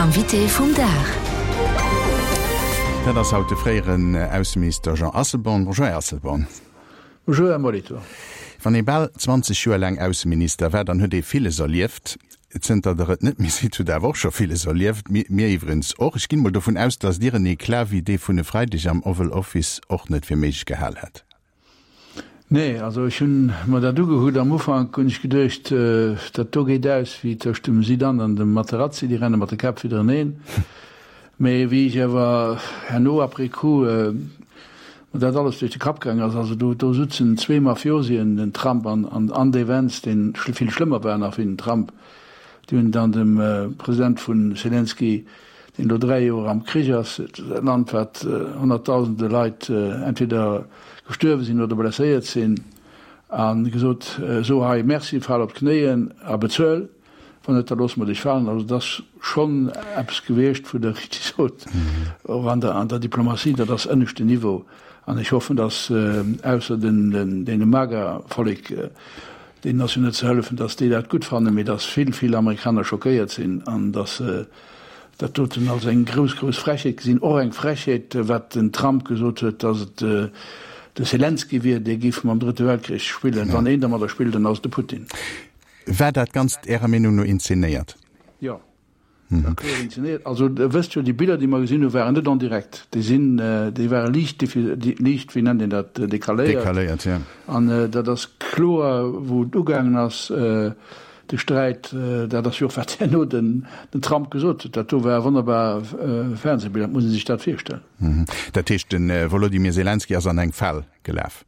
Invité vum Dag. Dat ass haut de fréieren Ausseminister Jean Asselborn. Bonjour, Här Asselborn. Bonjour, Här Molitor. Wann ee bal 20 Joer laang Ausseminister war, dann huet ee villes erlieft. Zënter Der et net méi sidd, hutt Der awer och scho villes erlieft. Mir iwwregens och. Ech ginn emol dovun aus, datt Dir en Eclat wéi dee vun e Freideg am Oval Office och net fir méiglech gehal hätt. Nee, also ech hunn mer dat ugekuckt. Am Ufank hunn ech geduecht, dat do geet aus wéi tëscht dem Zidane an dem Materazzi, déi renne mat de Käpp widdereneen. Mee wéi ech awer herno après coup mer dat alles duerch de Kapp gaang ass, also do do sutzen zwee Mafiosien, den Trump an an dee Vance, dee vill schlëmmer war nach wéi den Trump, déi hunn dann dem President vun Selenskyj, deen elo 3 Joer am Krich ass, e Land wat honnertdausende Leit entweder gestuerwe sinn oder blesséiert sinn, a gesot, so hei, merci, fal op d'Knéien a bezuel, wann net, da loosse mer dech falen. Also et ass schonn eppes gewiescht, wou Der richteg sot, och an der an der Diplomatie, dat ass ënneschten Niveau. An ech hoffen, datt ausser den deene MAGA-Vollek, deenen ass jo net ze hëllefen, datt déi dat gutt fannen, mee datt vill, vill Amerikaner schockéiert sinn an datt se dat doten als eng grouss, grouss Frechheet gesinn. Och eng Frechheet, wat den Trump gesot huet, datt et de Selenskyj wier, dee géif mam Drëtte Weltkrich spillen. Wann een dermadder spillt, dann ass et de Putin. War dat Ganzt Ärer Meenung no inzenéiert? Jo, dat war kloer inzenéiert. Also Der wësst jo, déi Biller, déi mer gesinn hunn, waren net en direct. Déi sinn, déi ware liicht, liicht, wéi nennt een dat, decaléiert. Decaléiert, jo. An dat ass kloer, wou et ugaangen ass, De Sträit, dat ass jo och wat herno den Trump gesot huet, dat do war e wonnerbar Fernsehbild, dat muss ee sech dat virstellen. Dat heescht, de Wolodymyr Selenskyj ass an eng Fal gelaf?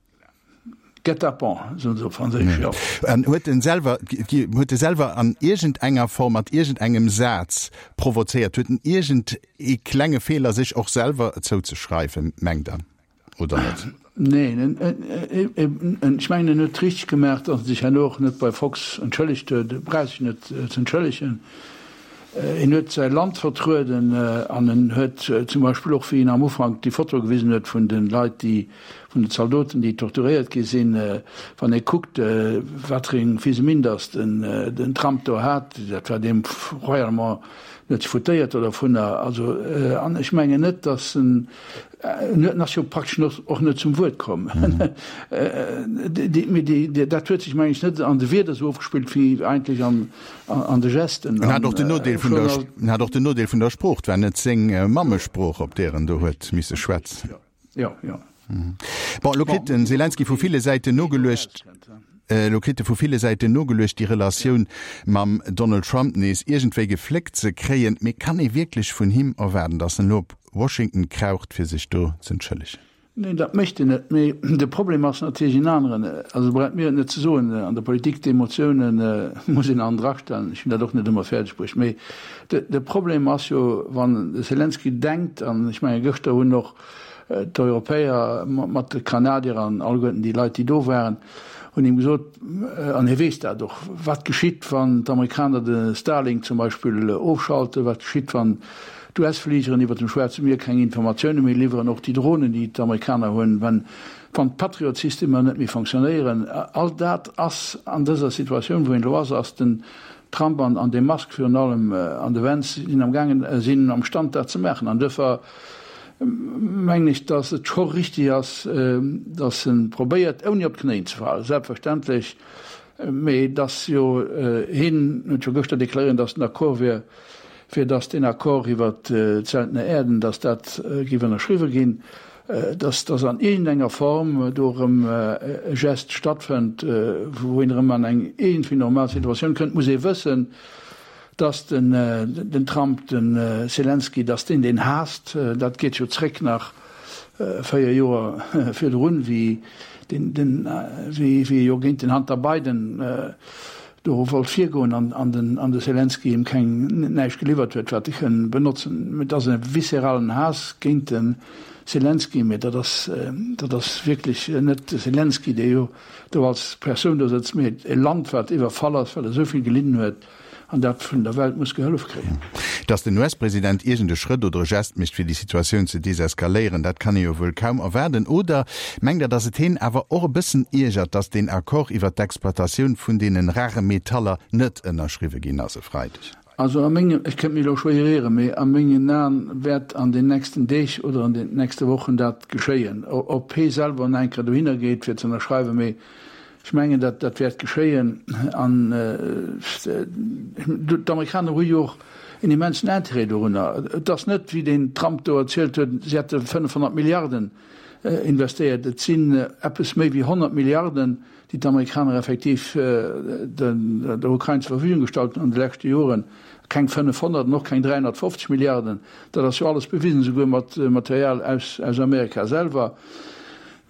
Guet-apens, soen se op Franséisch, jo. An huet en selwer, huet e selwer an iergendenger Form, mat iergendengem Saz provozéiert? Huet en iergend ee klenge Feeler sech och selwer zouzeschreiwen, mengt Der? Oder net? Neen, ech mengen en huet richteg gemaach, datt en sech herno och net bei Fox entschëllegt huet. E brauch sech net ze entschëllegen. En huet säi Land vertrueden an en huet zum Beispill och, wéi en am Ufank déi Foto gewisen huet vun de Leit, déi, vun den Zaldoten, déi torturéiert gi sinn, wann ee kuckt, wat fir eng Fiseminn datt den Trump do hat, dat war deem royalement net foutéiert oder dovunner. Also, an ech mengen net, datt en En ass jo praktesch och net zum Wuert komm. Mee dat huet sech, meng ech, net an de Wierder esou ofgespillt wéi eigentlech an de Gesten. En hat och den Nodeel vun der, en hat och den Nodeel vun der Sprooch. Et war net seng Mammesprooch, op där en do huet misse schwätzen. Jo, jo. Bon, elo kritt den Selenskyj vu ville Säiten nogeluecht, elo kritt e vu ville Säiten nogeluecht, déi Relatioun mam Donald Trump nees iergendwéi gefléckt ze kréien. Mee kann ee wierklech vun him erwaarden, datt en elo op Washington kraucht, fir sech do z'entschëllegen? Neen, dat mécht en net. Mee de Problem ass natierlech en aneren. Also braucht mir et net ze soen, an der Politik, d'Emotiounen muss een an drastellen. Ech hunn dat och net ëmmer fäerdeg bruecht. Mee de Problem ass jo, wann de Selenskyj denkt, an ech menge gëschter hunn och D'Europäer mat de Kanadier an alleguerten déi Leit, déi do waren, hunn him gesot, an hie weess dat och, wat geschitt, wann d'Amerikaner de Starlink zum Beispill ofschalten, wat geschitt, wann d'US-Fligeren iwwer dem Schwaarze Mier keng Informatioune méi liwweren, och déi Dronen, déi d'Amerikaner hunn, wann d'Patriot-Systemer net méi fonctionnéieren. All dat ass an dëser Situatioun, wou een elo ass, ass den Trump an de Musk virun allem an de Vance sinn amgaangen, sinn am Stand dat ze maachen. An duerfir mengen ech, dass et scho richtig ass, dass e probéiert, ouni op d'Knéien ze falen, selbstverständlech, mee dass jo hien huet jo gëschter deklaréiert, dass en d'accord wier, fir dass deen Accord iwwert d'seltene Äerden, dass dat géif ënnerschriwwe ginn, dass dass an iergendenger Form do erëm e Geste stattfënnt, wou een erëm an eng iergendwéi normal Situatioun kënnt, muss ee wëssen, Dass den Trump de Selenskyj, dass deen deen haasst, dat geet jo zréck nach 4 Joer virdrun, wéi wéi e jo géint den Hunter Biden do wollt virgoen an den de Selenskyj him keng näischt geliwwert huet, wat e kënn benotzen. Et ass e visceralen Haass géint de Selenskyj, mee dat ass dat ass wierklech net de Selenskyj, dee jo do als Persoun do sëtzt, mee e Land, wat iwwerfall ass, wat esou vill gelidden huet. An dat vun der Welt muss gehëllef kréien. Datt den US-President iergend e Schrëtt oder e Gest mécht, fir déi Situatioun ze deseskaléieren, dat kann ee jo wuel kaum erwaarden. Oder mengt Der, datt et heen awer och e bëssen iergert, datt deen Accord iwwert d'Exploitatioun vun deenen rare Metaller net ënnerschriwwe ginn ass e Freideg? Also a mengem, ech kënnt mech elo schwéier ieren, mee a mengen Aen wäert an den nächsten Deeg oder an den nächste Wochen dat geschéien. Ob hee selwer nach eng Kéier dohinner geet fir ze ënnerschreiwen, mee ech mengen dat dat wäert geschéien. An d'Amerikaner hu jo och en immensen Intérêt dorunner. Et ass net, wéi den Trump do erzielt huet, si hätte 500 Milliarden investéiert. Et sinn eppes méi wéi 100 Milliarden, déi d'Amerikaner effektiv der Ukrain zur Verfügung gestallt hunn an de leschte Joren, keng 500 an och keng 350 Milliarden, dat ass jo alles bewisen, esouguer mat Material aus Amerika selwer.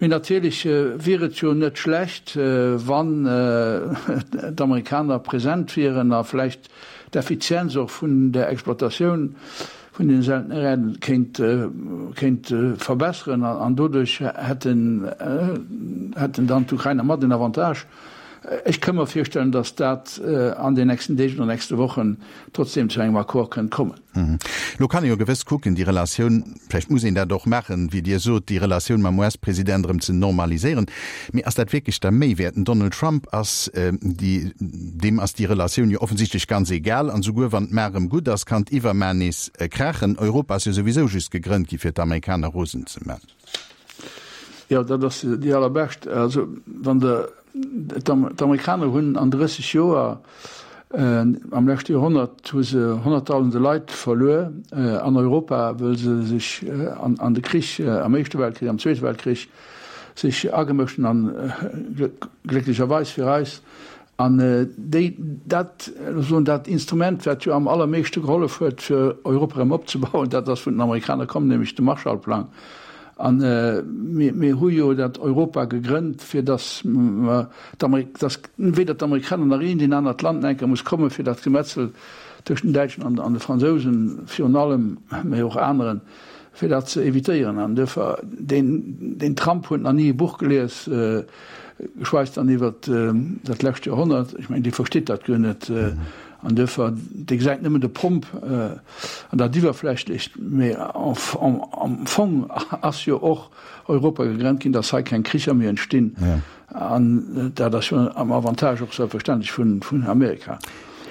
Mee natierlech wier et jo net schlecht, wann d'Amerikaner present wieren a vläicht d'Effizienz och vun der Exploitatioun vun den seltene Erden kéint kéint verbesseren an doduerch hätten hätten dann d'Ukrainer mat en Avantage. Ech ka mer virstellen, datt dat an den nächsten Deeg oder nächste Wochen trotzdem zu engem Accord kënnt kommen. Elo kann ee jo gewëss kucken, déi Relatioun, vläicht muss een dat och maachen, wéi Dir sot, déi Relatioun mam US-President erëm ze normaliséieren. Mee ass dat wierklech der Méi wäert? Den Donald Trump ass déi, deem ass déi Relatioun jo offensichtlech ganz egal. An esouguer wann d'Ma erëm gutt ass, kann d'iwwerma nees krachen. Europa ass jo souwisou just gegrënnt gi fir d'Amerikaner rosen ze man. Jo, dat ass déi allerbescht. Also wann de, d'Amerikaner hunn an 30 Joer, am leschte Joerhonnert hu se honnertdausende Leit verluer an Europa, wëll se sech an de Krich, am Éischte Weltkrich, am Zweete Weltkrich, sech agemëscht hunn an glécklecherweis fir eis an déi dat soen dat Instrument wat jo am allermeeschte gehollef huet fir Europa erëm opzebauen, dat ass vun den Amerikaner komm, nämlech de Marshallplang. An mir mir hu jo dat Europa gegrënnt fir datt mer datt weder d'Amerikaner nach een deen anert Land enker muss komme fir dat Gemetzel tëscht den Däitschen an de Fransousen virun allem, mä och aneren, fir dat ze evitéieren. An duerfir, deen, deen Trump huet nach ni e Buch gelies, geschweis dann iwwer dat lescht Joerhonnert. Ech mengen, dee versteet dat guer net. An duerfir, dee gesäit nëmmen de Pomp an dat Iwwerflächlecht. Mee am Fong ass jo och Europa gegrennt ginn, datt hei keng Kricher méi entstinn. An dat ass jo am Avantage och selbstverständlech vun Amerika.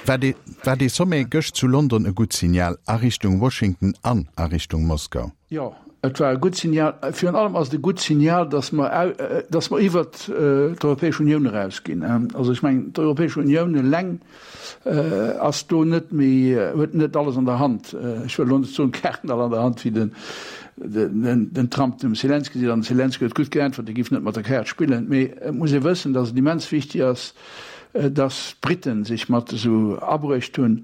War dee, war dee Sommet gëscht zu London e gutt Signal a Richtung Washington an a Richtung Moskau? Jo, et war e gutt Signal. Virun allem ass et e gutt Signal, datt mer, datt mer iwwert d'Europäesch Unioun erausginn. Also ech mengen, d'Europäesch Unioun eleng ass do net méi, huet net alles an der Hand. Ech wëll elo net soen, d'Kaarten all an der Hand, wéi den, den Trump dem Selenskyj seet, an de Selenskyj huet gutt geäntwert, e giff net mat der Kaart spillen. Mee et muss ee wëssen, datt et immens wichteg ass, datt d'Brite sech mat esou abruecht hunn.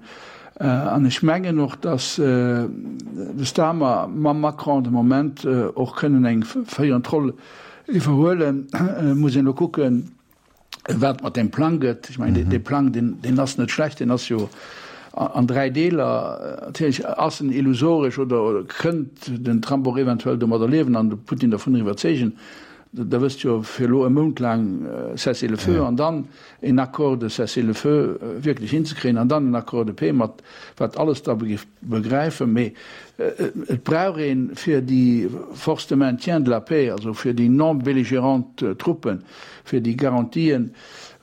An ech mengen och, datt de Starmer mam Macron de Moment och kënnen eng féierend Roll iwwerhuelen. Et muss een elo kucken, wat mat deem Plang gëtt. Ech mengen, dee Plang, deen, deen ass net schlecht, deen ass jo an dräi Deeler. Natierlech ass en illusoresch oder kënnt den Trump och eventuell domadder liewen an de Putin dervun iwwerzeegen. Der wësst jo, fir elo e Mount laang Cessez-le-feu an dann een Accord de cessez-le-feu wierklech hinzekréien an dann en Accord de paix mat wat alles da géif begräifen. Mee et brauch ee fir déi Forces de maintien de la paix, also fir déi non belligérant Truppen, Fir déi Garantien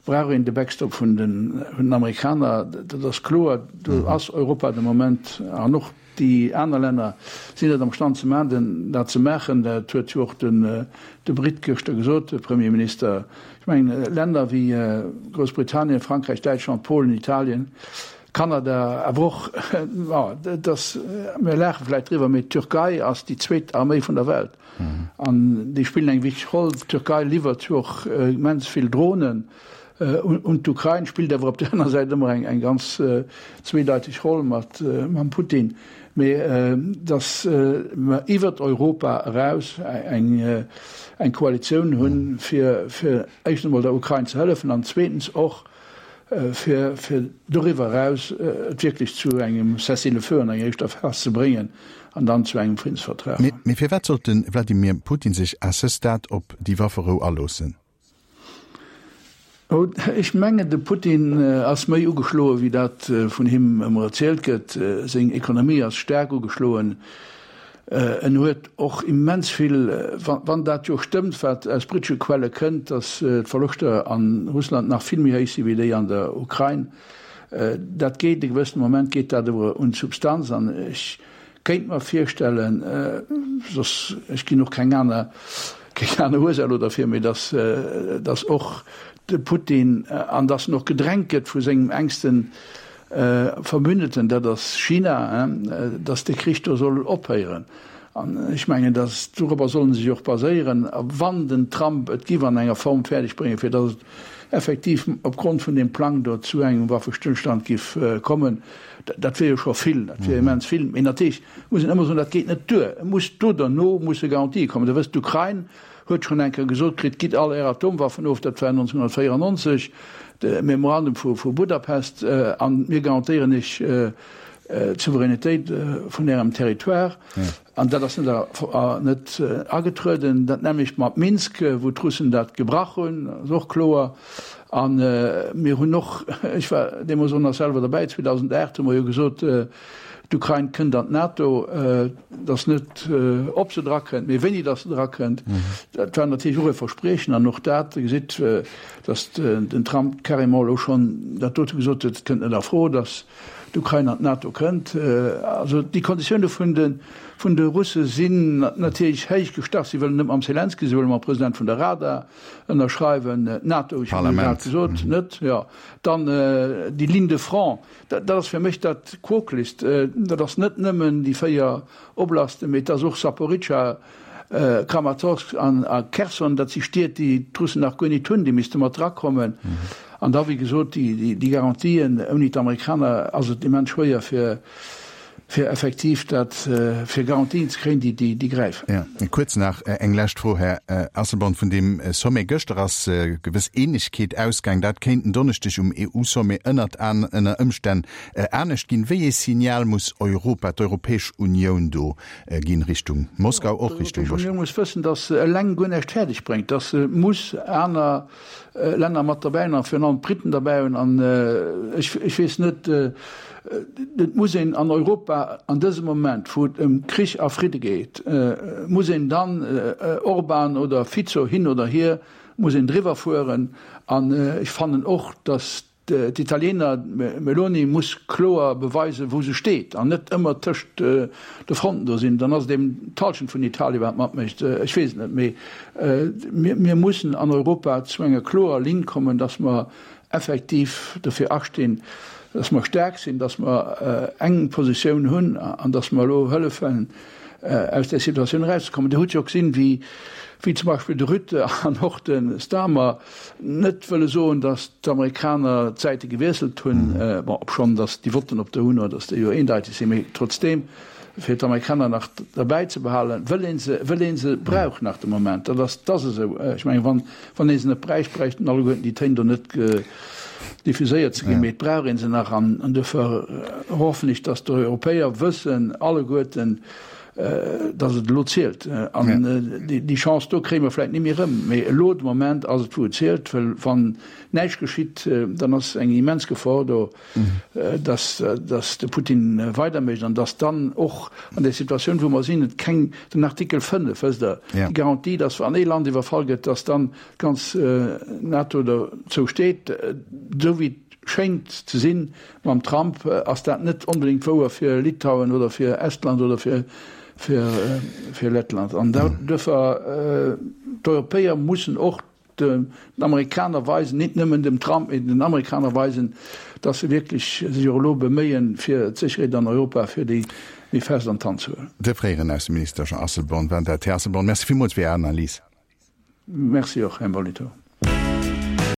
brauch een de Backstop vun den Amerikaner, dat ass kloer. Do ass Europa de Moment, an och déi aner Länner sinn net am Stand ze maachen, dat ze maachen. Dat huet jo och de Brit gëschter gesot, de Premierminister. Ech mengen, Länner wéi Groussbritannien, Frankräich, Däitschland, Polen, Italien, Kanada, awer och, dat ass, mir laache vläicht driwwer, mee d'Türkei ass déi zweet Arméi vun der Welt. An déi spillen eng wichteg Roll. D'Türkei liwwert jo och immens vill Dronen un d'Ukrain, spillt awer op där aner Säit ëmmer eng ganz zweedeiteg Roll mat mam Putin. Mee datt mer iwwert Europa eraus eng Koalitioun hunn, fir éischtens emol der Ukrain ze hëllefen an zweetens och, fir fir doriwwer eraus et wierklech zu engem Cessez-le-feu an enger éischter Phas ze bréngen an dann zu engem Friddensvertrag. Mee firwat sollt de Wladimir Putin sech à ce stade op déi Wafferou aloossen? Ech mengen, de Putin ass méi ugeschloe wéi dat vun him ëmmer erzielt gëtt. Seng Ekonomie ass staark ugeschloen. En huet och immens vill, wann dat jo stëmmt, wat aus brittesche Quelle kënnt, datt d'Verloschter a Russland nach vill méi héich si wéi déi an der Ukrain. Dat geet, e gewëssene Moment geet dat awer un d'Substanz an ech kéint mer virstellen, soss, ech ginn och keng aner, keng aner Ursaach elo derfir, mee datt, datt och de Putin, an datt en och gedrängt gëtt vu sengem enksten Verbündeten, dat ass China, datt dee Krich do soll ophéieren. An ech mengen, datt dorobber solle se sech och baséieren, a wann den Trump et giff an enger Form fäerdeg bréngen, fir datt et effektiv opgrond vun deem Plang do zu engem Waffestëllstand giff kommen, dat wier jo scho vill, dat wier immens vill. Mee natierlech muss een ëmmer soen, dat geet net duer. Et muss do derno musse Garantië kommen. Der wësst, d'Ukrain huet schonn eng Kéier gesot kritt, Gitt all Är Atomwaffen of, dat war 1994, de Memorandum vu Budapest, a mir garantéieren Iech d'Souveränitéit vun Ärem Territoire. An dat ass net agetrueden. Dat nämmlecht mat Minsk, wou d'Russen dat gebrach hunn, ass och kloer. A mir hunn och, ech war deemools och nach selwer derbäi, 2008 hu mer jo gesot, d'Ukrain kënnt an d'NATO. Et ass net, ob se drakënnt, mee wéini datt se drakënnt. Dat war natierlech och e Verspriechen. An och dat, Dir gesitt, datt den Trump carrément elo schonn dat dote gesot huet, et kënnt net a Fro, datt d'Ukrain an d'NATO kënnt. Also déi Konditioune vun de vun de Russe sinn natierlech héich gestach. Si wëllen net mam Selenskyj, si wëlle mam President vun der Rada ënnerschreiwen. D'NATO, ech hunn jo grad gesot, net. Jo, dann déi Ligne de front, dat ass fir mech dat Quokeligst. Dat ass net nëmmen déi 4 Oblasten, mee et ass och Saporizhzhia, Kramatorsk an a Kherson, dat si Stied, déi d'Russen nach guer nit hunn, déi misste mat drakommen. An da, wéi gesot, déi Garantien, ouni d'Amerikaner ass et immens schwéier fir, fir effektiv dat, fir Garantien ze kréien, déi, déi gräifen. Jo. Kuerz nach eng lescht Fro, Här Asselborn. Vun deem Sommet gëschter ass gewëss Eenegkeet ausgaang. Dat kéint en Donneschdeg um EU-Sommet ënnert ënner Ëmstänn anescht ginn. Wéi ee Signal muss Europa, d'Europäesch Unioun do ginn Richtung Moskau, och Richtung Washington? D'Europäesch Unioun muss wëssen, datt se eleng guer näischt fäerdeg bréngt, datt se muss aner Länner mat derbäi hunn a virun allem d'Briten derbäi hunn. An ech, ech weess net, et muss een an Europa an dësem Moment, wou et ëm Krich a Fridde geet, muss een dann, Orban oder Fico hin oder hier, muss een driwwer fueren. An ech fannen och, datt D'Italiener, d'Meloni muss kloer beweisen, wou se steet an net ëmmer tëscht de Fronten do sinn. Dann ass et eben d'Halschent vun Italien, wat matmécht. Ech weess et net. Mee mir mussen an Europa zu enger klorer Linn kommen, datt mer effektiv dofir astinn, datt mer staark sinn, datt mer eng Positioun hunn an datt mer elo hëllefen, aus där Situatioun erauszekommen. Dir hutt jo gesinn, wéi zum Beispill de Rutte an och de Starmer Net wëlle soen, datt d'Amerikaner d'Säite gewiesselt hunn, bon, obschonn datt déi Votten op der UNO, datt déi jo eendeiteg sinn, mee trotzdeem, fir d'Amerikaner nach derbäi ze behalen, wëll ee se, wëll ee se brauch nach de Moment. Dat ass, dat ass esou. Ech mengen, wann, wann ee se net bräicht, bräichten alleguerten déi Téin do net diffuséiert ze ginn, mee et brauch ee se nach. An duerfir hoffen ech, datt d'Europäer wëssen alleguerten, dass et elo zielt. An déi Chance do kréie mer vläicht ni méi erëm. Mee elo de Moment ass et, wou et zielt, well wann näischt geschitt, dann ass eng immens Gefor do, dass dass de Putin weidermécht an dass dann och an där Situatioun, wou mer sinn, et keng, den Artikel 5, wësst Der, déi Garantie, dass wann ee Land iwwerfall gëtt, dass dann d'ganz NATO dozou steet, esou wéi et schéngt ze sinn, Mam Trump ass dat net onbedéngt wouer fir Litauen oder fir Estland oder fir fir Lettland. An duerfir, d'Europäer mussen och den Amerikaner weisen, nit nëmmen dem Trump, mee den Amerikaner weisen, datt se wierklech sech och elo beméien, fir d'Sécherheet an Europa fir déi méi fest an d'Hand ze huelen. De fréieren Ausseminister Jean Asselborn war dat. Här Asselborn, Merci villmools fir Är Analys. Merci och, Här Molitor.